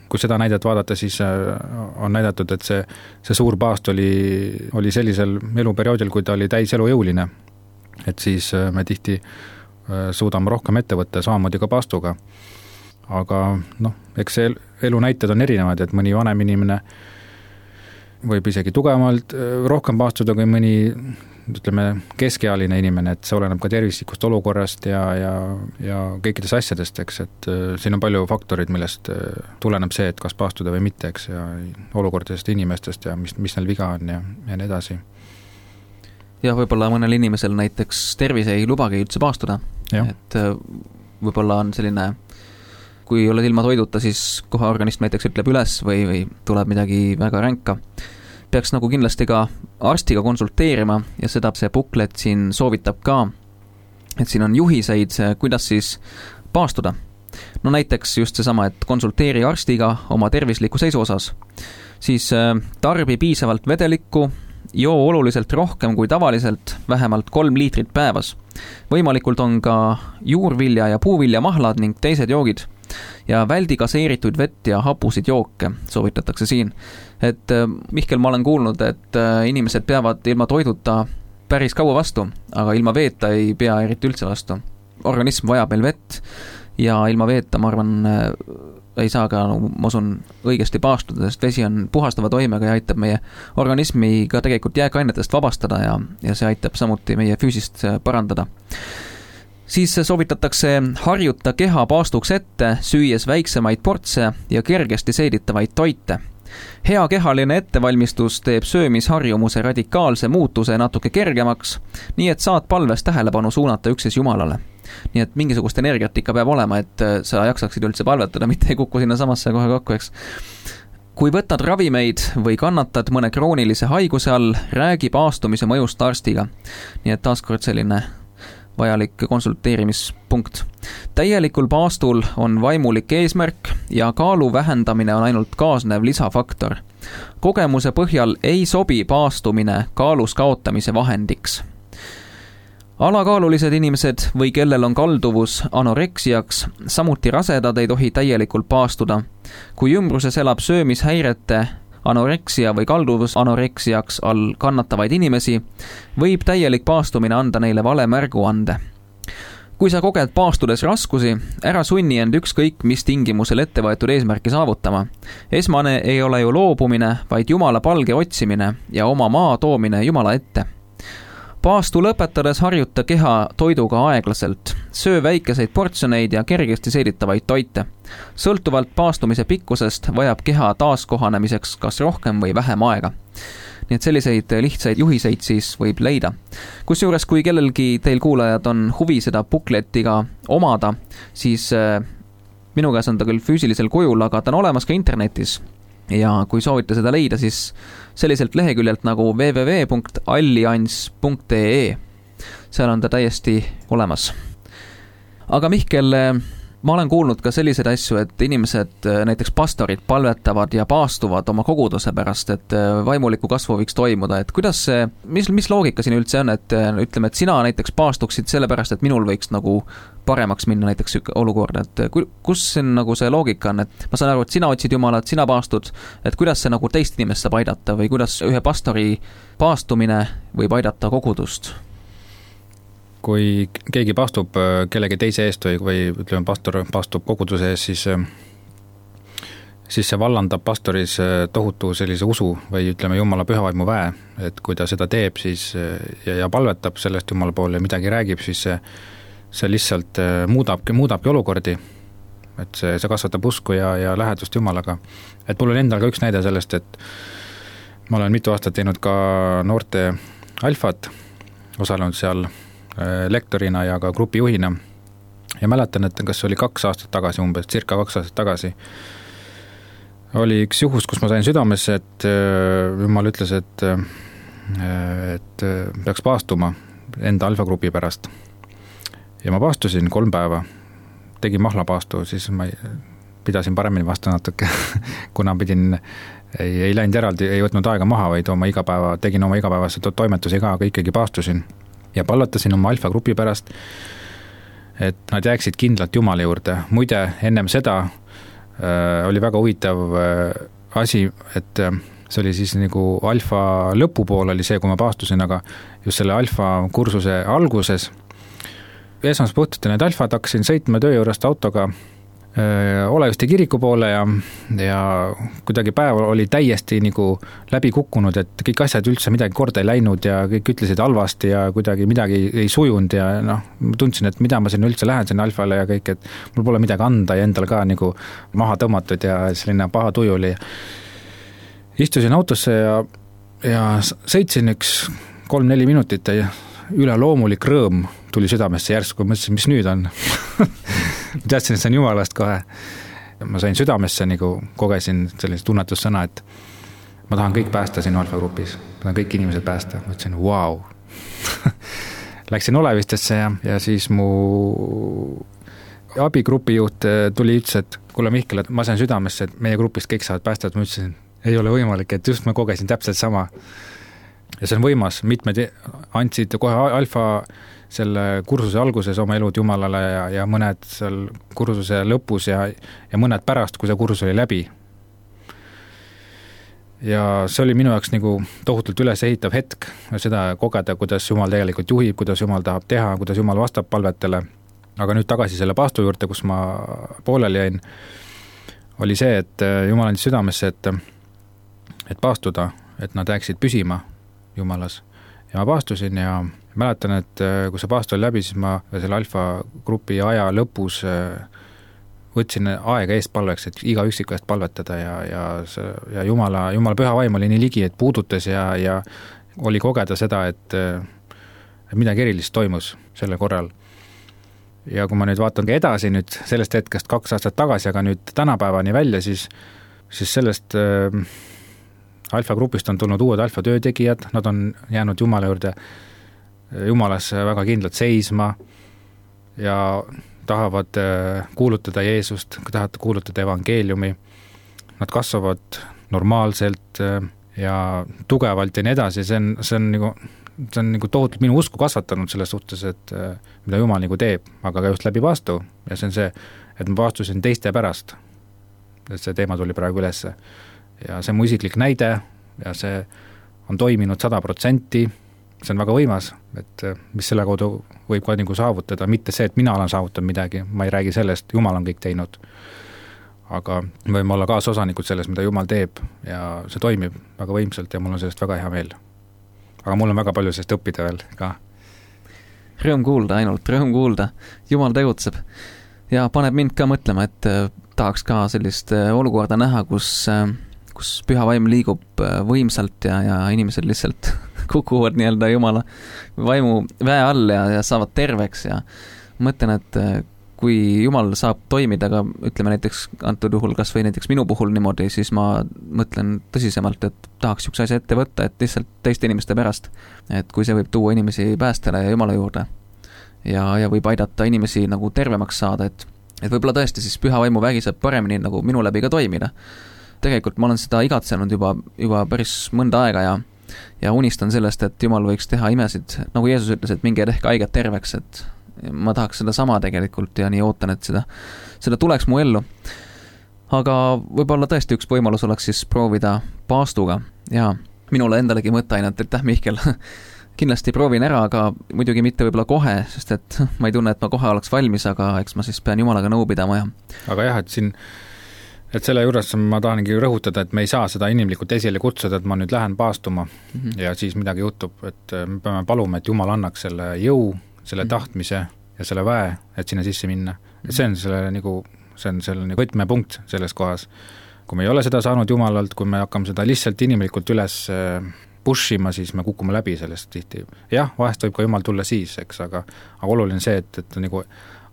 kui seda näidet vaadata, siis on näidatud, et see, see suur paast oli, oli sellisel eluperioodil, kui ta oli täis elujõuline. Et siis me tihti suudame rohkem ette võtta samamoodi ka paastuga. Aga noh, eks see elu näited on erinevad, et mõni vanem inimene võib isegi tugevamalt rohkem paastuda kui mõni, ütleme, keskealine inimene, et see oleneb ka tervislikust olukorrast ja, ja, ja kõikidest asjadest, eks, et siin on palju faktorid, millest tuleneb see, et kas paastuda või mitte, eks, ja olukordadest inimestest ja mis, mis neil viga on ja, ja nii edasi. Ja võib-olla mõnel inimesel näiteks tervis ei lubagi üldse paastuda, ja. Et võib-olla on selline, kui oled ilma toiduta, siis kohe organism näiteks ütleb üles või, või tuleb midagi väga ränka. Peaks nagu kindlasti ka arstiga konsulteerima ja seda see booklet siin soovitab ka, et siin on juhiseid, kuidas siis paastuda. No näiteks just seesama, et konsulteeri arstiga oma tervisliku seisu osas, siis tarbi piisavalt vedelikku, joo oluliselt rohkem kui tavaliselt, vähemalt kolm liitrit päevas. Võimalikult on ka juurvilja ja puuvilja mahlad ning teised joogid ja väldi gaseerituid vett ja hapusid jooke soovitatakse siin. Et Mihkel, ma olen kuulnud, et inimesed peavad ilma toiduta päris kaua vastu, aga ilma veeta ei pea eriti üldse vastu. Organism vajab meil vett ja ilma veeta, ma arvan, ei saa ka, no, ma usun, õigesti paastuda, sest vesi on puhastava toimega ja aitab meie organismi ka tegelikult jääkainetest vabastada ja, ja see aitab samuti meie füüsist parandada. siis soovitatakse harjuta keha paastuks ette, süües väiksemaid portse ja kergesti seeditavaid toite. Hea kehaline ettevalmistus teeb söömisharjumuse radikaalse muutuse natuke kergemaks, nii et saad palves tähelepanu suunata üksnes Jumalale. Nii et mingisugust energiat ikka peab olema, et sa jaksaksid üldse palvetada, mitte ei kuku sinna samasse kohe kokku, eks. Kui võtad ravimeid või kannatad mõne kroonilise haiguse all, räägi paastumise mõjust arstiga. Nii et taaskord selline vajalik konsulteerimispunkt. Täielikul paastul on vaimulik eesmärk ja kaalu vähendamine on ainult kaasnev lisafaktor. Kogemuse põhjal ei sobi paastumine kaalus kaotamise vahendiks. Alakaalulised inimesed või kellel on kalduvus anoreksiaks, samuti rasedad ei tohi täielikult paastuda. Kui ümbruses elab söömishäirete, anoreksia või kalduvus anoreksiaks all kannatavaid inimesi, võib täielik paastumine anda neile vale märguande. Kui sa koged paastudes raskusi, ära sunni end ükskõik mis tingimusel ette võetud eesmärki saavutama. Esmane ei ole ju loobumine, vaid Jumala palge otsimine ja oma maa toomine Jumala ette. Paastu lõpetades harjuta keha toiduga aeglaselt, söö väikeseid portsjoneid ja kergesti seeditavaid toite. Sõltuvalt paastumise pikkusest vajab keha taaskohanemiseks kas rohkem või vähem aega. Nii et selliseid lihtsaid juhiseid siis võib leida. Kusjuures kui kellelgi teil kuulajad on huvi seda bukletiga omada, siis minu käes on ta küll füüsilisel kujul, aga ta on olemas ka internetis. Ja kui soovite seda leida, siis selliselt leheküljelt nagu w w w punkt allianss punkt e e. Seal on ta täiesti olemas. Aga Mihkel, ma olen kuulnud ka selliseid asju, et inimesed, näiteks pastorid, palvetavad ja paastuvad oma koguduse pärast, et vaimuliku kasvu võiks toimuda. Et kuidas see, mis, mis loogika siin üldse on, et ütleme, et sina näiteks paastuksid selle pärast, et minul võiks nagu paremaks minna näiteks olukord, et kus see, nagu see loogika on, et ma saan aru, et sina otsid Jumalat, sina paastud, et kuidas see nagu teist inimest saab aidata või kuidas ühe pastori paastumine võib aidata kogudust? Kui keegi paastub kellegi teise eest või, või ütleme, pastor paastub koguduse eest, siis, siis see vallandab pastoris tohutu sellise usu või ütleme Jumala pühavaimu väe, et kui ta seda teeb siis, ja, ja palvetab sellest Jumala poole ja midagi räägib, siis see, see lihtsalt muudabki, muudabki olukordi, et see, see kasvatab usku ja, ja lähedust Jumalaga. Et mul on endal ka üks näide sellest, et ma olen mitu aastat teinud ka noorte alfat, osalenud seal lektorina ja ka grupijuhina ja mäletan, et kas oli kaks aastat tagasi umbes, circa kaks aastat tagasi oli üks juhus, kus ma sain südamesse, et Jumal ütles, et et peaks paastuma enda alfagrupi pärast ja ma paastusin kolm päeva, tegin mahlapaastu, siis ma pidasin paremini vastu natuke kuna pidin, ei, ei läinud eraldi, ei võtnud aega maha, vaid oma igapäeva, tegin oma igapäevase toimetusi ka, aga ikkagi paastusin ja palvetasin oma alfagrupi pärast, et nad jääksid kindlalt Jumala juurde. Muide, ennem seda äh, oli väga huvitav äh, asi, et äh, see oli siis nagu alfa lõpupool oli see, kui ma paastusin, aga just selle alfa kursuse alguses esmaspuhtite need alfad hakkasin sõitma töö juurest autoga Oleviste kiriku poole ja, ja kuidagi päev oli täiesti nagu läbi kukkunud, et kõik asjad üldse midagi korda ei läinud ja kõik ütlesid halvasti ja kuidagi midagi ei sujunud ja noh, tundsin, et mida ma sinna üldse lähen sinna alfale ja kõik, et mul pole midagi anda ja endal ka nagu maha tõmmatud ja selline paha tuju oli. Istusin autosse ja, ja sõitsin üks kolm-neli minutit ja üleloomulik rõõm tuli südamesse järsku, mõtlesin, mis nüüd on. Teadsin, et see on Jumalast kohe. Ma sain südamesse, nagu kogesin sellise tunnetussõna, et ma tahan kõik päästa siin alfagrupis. Ma tahan kõik inimesed päästa. Ma ütlesin, vau. Wow. Läksin Olevistesse ja, ja siis mu abigrupi juht tuli ütles, et kuule Mihkel, et ma sain südamesse, et meie grupist kõik saavad päästa. Ma ütlesin, ei ole võimalik, et just ma kogesin täpselt sama. Ja see on võimas, mitmed andsid kohe alfa selle kursuse alguses oma elud Jumalale ja, ja mõned seal kursuse lõpus ja, ja mõned pärast, kui see kursus oli läbi. Ja see oli minu jaoks nagu tohutult üles ehitav hetk, seda kogeda, kuidas Jumal tegelikult juhib, kuidas Jumal tahab teha, kuidas Jumal vastab palvetele. Aga nüüd tagasi selle paastu juurde, kus ma pooleli jäin, oli see, et Jumal andis südamesse, et, et paastuda, et nad jääksid püsima Jumalas ja ma paastusin ja mäletan, et kui see paast oli läbi, siis ma selle alfa grupi aja lõpus võtsin aega eest palveks, et iga üksiku eest palvetada ja, ja, ja Jumala, Jumala püha vaim oli nii ligi, et puudutas ja, ja oli kogeda seda, et, et midagi erilist toimus sellel korral. Ja kui ma nüüd vaatan ka edasi nüüd sellest hetkest kaks aastat tagasi, aga nüüd tänapäevani välja, siis, siis sellest äh, alfa grupist on tulnud uued alfa töötegijad, nad on jäänud Jumala juurde, Jumalasse väga kindlalt seisma ja tahavad kuulutada Jeesust, tahavad kuulutada evangeeliumi, nad kasvavad normaalselt ja tugevalt ja nii edasi, see on, see on nagu, see on nagu tohutult minu usku kasvatanud selles suhtes, et mida Jumal nagu teeb, aga ka just läbi vastu ja see on see, et ma vastusin teiste pärast, et see teema tuli praegu ülesse ja see on mu isiklik näide ja see on toiminud sada protsenti, see on väga võimas, et mis selle kaudu võib ka nagu saavutada, mitte see, et mina olen saavutanud midagi, ma ei räägi sellest, Jumal on kõik teinud. Aga võime olla kaasosanikud selles, mida Jumal teeb ja see toimib väga võimsalt ja mul on sellest väga hea meel. Aga mul on väga palju sellest õppida veel ka. Rõõm kuulda ainult, rõõm kuulda. Jumal tegutseb ja paneb mind ka mõtlema, et tahaks ka sellist olukorda näha, kus, kus püha vaim liigub võimsalt ja, ja inimesed lihtsalt kukuvad nii-öelda Jumala vaimu väe all ja, ja saavad terveks ja mõtlen, et kui Jumal saab toimida, aga ütleme näiteks antud juhul kas või näiteks minu puhul niimoodi, siis ma mõtlen tõsisemalt, et tahaks üks asja ette võtta, et lihtsalt teiste inimeste pärast, et kui see võib tuua inimesi päästele ja Jumala juurde ja, ja võib aidata inimesi nagu tervemaks saada, et, et võib-olla tõesti siis püha vaimu vägi saab paremini nagu minu läbi ka toimida. Tegelikult ma olen seda igatsenud juba, juba päris mõnda aega ja ja unistan sellest, et Jumal võiks teha imesid, nagu Jeesus ütles, et minge tehke haiget terveks, et ma tahaks seda sama tegelikult ja nii ootan, et seda, seda tuleks mu ellu. Aga võib-olla tõesti üks võimalus oleks siis proovida paastuga ja minule endalegi mõtta ainult, et täh Mihkel, kindlasti proovin ära, aga muidugi mitte võib-olla kohe, sest et ma ei tunne, et ma kohe oleks valmis, aga eks ma siis pean Jumalaga nõu pidama ja aga jah, et siin et selle juures ma tahangi rõhutada, et me ei saa seda inimlikult esile kutsuda, et ma nüüd lähen paastuma mm-hmm. ja siis midagi juhtub, et me peame paluma, et Jumal annaks selle jõu, selle mm-hmm. tahtmise ja selle väe, et sinna sisse minna. Et see on selle nagu, see on selle nagu võtmepunkt selles kohas. Kui me ei ole seda saanud Jumalalt, kui me hakkame seda lihtsalt inimlikult üles pushima, siis me kukume läbi sellest tihti. Jah, vahest võib ka Jumal tulla siis, eks, aga, aga oluline see, et, et nagu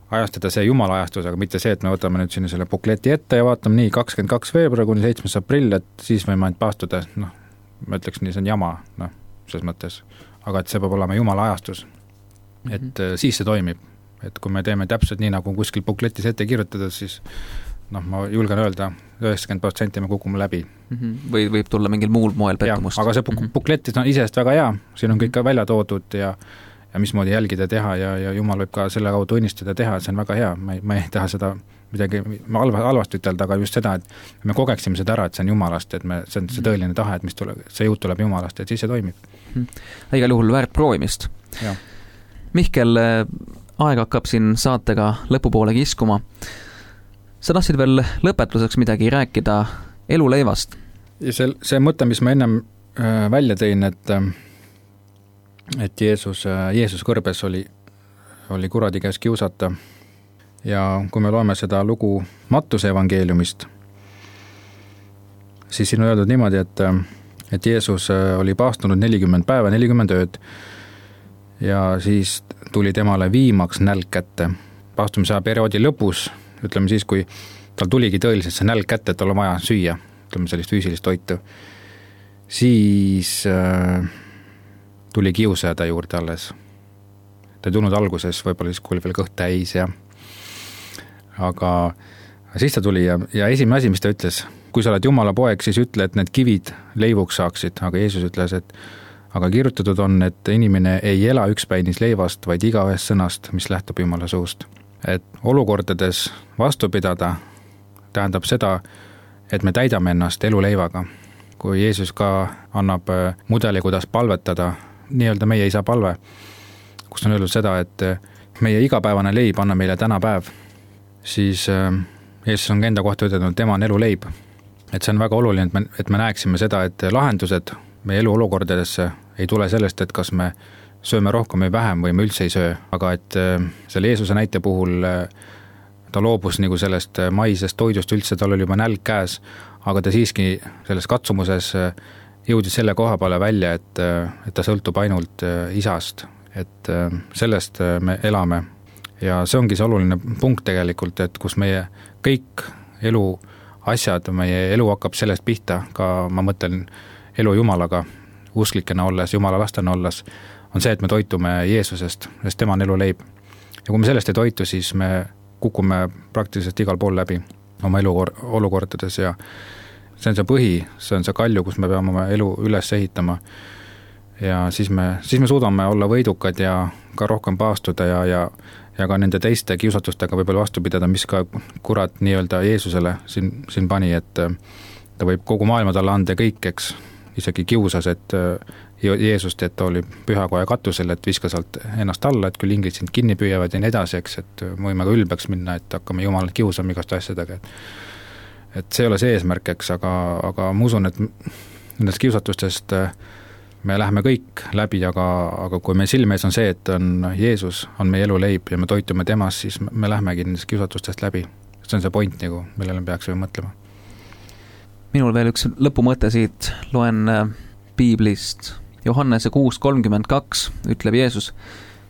ajastada see Jumala ajastus, aga mitte see, et me võtame nüüd sinna selle bukleti ette ja vaatame nii kakskümmend kaks veebruar kuni seitsmes aprill, et siis võime ainult paastuda, noh, ma ütleks nii, see on jama, noh, selles mõttes, aga et see peab olema Jumala ajastus, et mm-hmm. siis see toimib, et kui me teeme täpselt nii, nagu kuskil bukletis ette kirjutada, siis noh, ma julgen öelda, üheksakümmend protsenti me kukume läbi. Mm-hmm. Või võib tulla mingil muul moel pettumust. Ja, aga see mm-hmm. bukletis on isest väga hea, siin on kõik ka välja toodud ja ja mismoodi jälgida teha ja, ja Jumal võib ka selle kaudu õnnistada teha, et see on väga hea, ma ei, ma ei taha seda midagi ma halva, halvasti ütelda, aga just seda, et me kogeksime seda ära, et see on Jumalast, et me, see on see tõeline tahe, et mis tuleb, see jõud tuleb Jumalast, et siis see toimib. Igal juhul väärt proovimist. Ja. Mihkel, aeg hakkab siin saatega lõpupoole kiskuma. Sa tahtsid veel lõpetuseks midagi rääkida eluleivast? Ja see, see mõte, mis ma ennem äh, välja tõin, et äh, et Jeesus, Jeesus kõrbes oli, oli kuradi käes kiusata ja kui me loeme seda lugu Mattuse evangeeliumist, siis siin on öeldud niimoodi, et, et Jeesus oli paastunud nelikümmend päeva, nelikümmend ööd ja siis tuli temale viimaks nälg kätte. Paastumise perioodi lõpus, ütleme siis, kui tal tuligi tõeliselt see nälg kätte, et tal on vaja süüa, ütleme sellist füüsilist toitu, siis äh, tuli kiusaja ta juurde alles. Ta ei tulnud alguses, võib-olla siis, kui oli veel kõht täis ja aga siis ta tuli ja, ja esimene asi, mis ta ütles, kui sa oled Jumala poeg, siis ütle, et need kivid leivuks saaksid, aga Jeesus ütles, et aga kirjutatud on, et inimene ei ela ükspäinis leivast, vaid iga ühest sõnast, mis lähtub Jumala suust. Et olukordades vastu pidada tähendab seda, et me täidame ennast eluleivaga. Kui Jeesus ka annab mudeli, kuidas palvetada, nii-öelda meie isa palve, kus on öeldud seda, et meie igapäevane leib anna meile täna päev, siis Jeesus on enda kohta ütelnud, tema on eluleib. Et see on väga oluline, et me, et me näeksime seda, et lahendused meie elu olukordadesse ei tule sellest, et kas me sööme rohkem või vähem või me üldse ei söö, aga et selle Jeesuse näite puhul ta loobus nagu sellest maisest toidust üldse, tal oli juba nälg käes, aga ta siiski selles katsumuses jõudis selle koha peale välja, et, et ta sõltub ainult isast, et sellest me elame. Ja see ongi see oluline punkt tegelikult, et kus meie kõik elu asjad, meie elu hakkab sellest pihta, ka ma mõtlen elu Jumalaga, usklikena olles, Jumala lastena olles, on see, et me toitume Jeesusest, sest tema on elu leib. Ja kui me sellest ei toitu, siis me kukume praktiliselt igal pool läbi oma elu olukordades ja see on see põhi, see on see kalju, kus me peame oma elu üles ehitama ja siis me, siis me suudame olla võidukad ja ka rohkem paastuda ja, ja, ja ka nende teiste kiusatustega võib-olla vastu pidada, mis ka kurat nii-öelda Jeesusele siin, siin pani, et ta võib kogu maailma talle anda kõik, eks, isegi kiusas, et Jeesust, et ta oli pühakoja katusel, et viska sealt ennast alla, et küll inglid sind kinni püüavad ja nii edasi, eks, et võime ka ülbeks minna, et hakkame Jumalat kiusama igast asjadega, et, et see ei ole see eesmärk, eks, aga, aga ma usun, et nendest kiusatustest me läheme kõik läbi, aga, aga kui meil silme ees on see, et on Jeesus, on meie elu leib ja me toitume temas, siis me lähemegi nendest kiusatustest läbi. See on see point, nagu, millele me peaksime mõtlema. Minul veel üks lõpumõte siit, loen Piiblist. Johannese kuus kolmkümmend kaks ütleb Jeesus.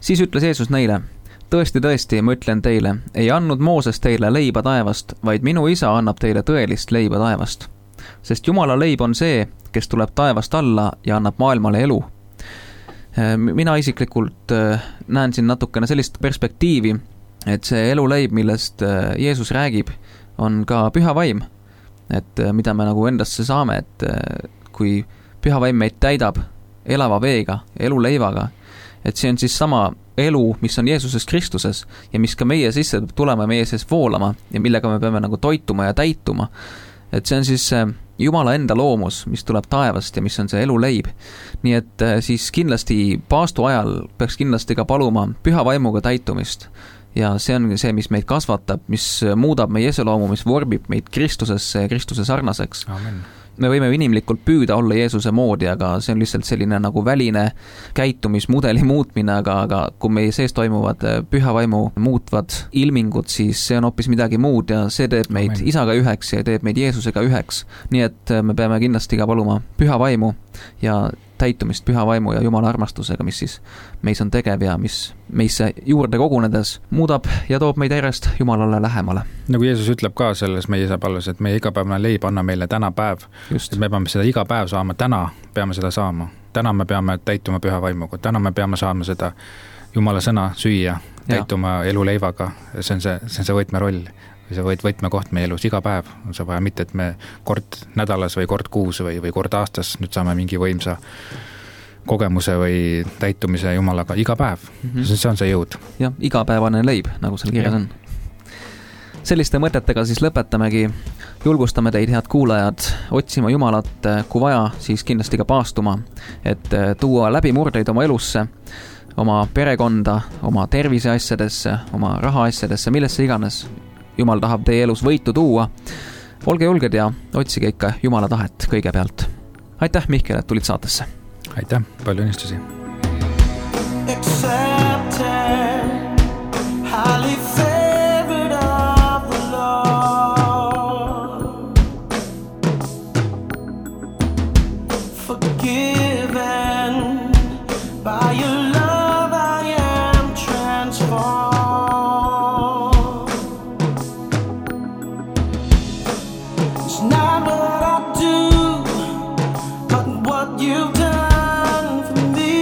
Siis ütles Jeesus neile, tõesti, tõesti, ma ütlen teile, ei andnud Mooses teile leiba taevast, vaid minu isa annab teile tõelist leiba taevast. Sest Jumala leib on see, kes tuleb taevast alla ja annab maailmale elu. Mina isiklikult näen siin natukene sellist perspektiivi, et see elu leib, millest Jeesus räägib, on ka püha vaim. Et mida me nagu endasse saame, et kui püha vaim meid täidab elava veega, elu leivaga, et see on siis sama elu, mis on Jeesuses Kristuses ja mis ka meie sisse tulema, meie sees voolama ja millega me peame nagu toituma ja täituma. Et see on siis Jumala enda loomus, mis tuleb taevast ja mis on see elu leib. Nii et siis kindlasti paastu ajal peaks kindlasti ka paluma püha vaimuga täitumist. Ja see on see, mis meid kasvatab, mis muudab meie eseloomu, mis vorbib meid Kristusesse ja Kristuse sarnaseks. Amen. Me võime inimlikult püüda olla Jeesuse moodi, aga see on lihtsalt selline nagu väline käitumismudeli muutmine, aga, aga kui meie sees toimuvad püha vaimu muutvad ilmingud, siis see on hoopis midagi muud ja see teeb meid Amen. Isaga üheks ja teeb meid Jeesusega üheks. Nii et me peame kindlasti ka paluma püha vaimu ja täitumist püha vaimu ja Jumala armastusega, mis siis meis on tegev ja mis meisse juurde kogunedes muudab ja toob meid järjest Jumalale lähemale. Nagu Jeesus ütleb ka selles meie isa palves, et meie igapäevane leib anna meile täna päev. Just. Et me peame seda iga päev saama, täna peame seda saama. Täna me peame täituma püha vaimuga, täna me peame saama seda Jumala sõna süüa, täituma ja. Elu leivaga. See on see, see, on see võtmeroll. See võit, võtmekoht meie elus iga päev. On see vaja mitte, et me kord nädalas või kord kuus või, või kord aastas nüüd saame mingi võimsa kogemuse või täitumise Jumalaga iga päev. Mm-hmm. See on see jõud. Ja, igapäevane leib, nagu seal kirjas on. Selliste mõtetega siis lõpetamegi. Julgustame teid, head kuulajad, otsima Jumalat, kui vaja, siis kindlasti ka paastuma, et tuua läbimurdeid oma elusse, oma perekonda, oma terviseasjadesse, oma rahaasjadesse, millesse iganes. Jumal tahab teie elus võitu tuua. Olge julged ja otsige ikka Jumala tahet kõigepealt. Aitäh, Mihkel, et tulid saatesse. Aitäh, palju õnnistusi. You've done for me.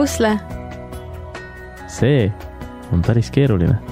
Pusle. See on päris keeruline.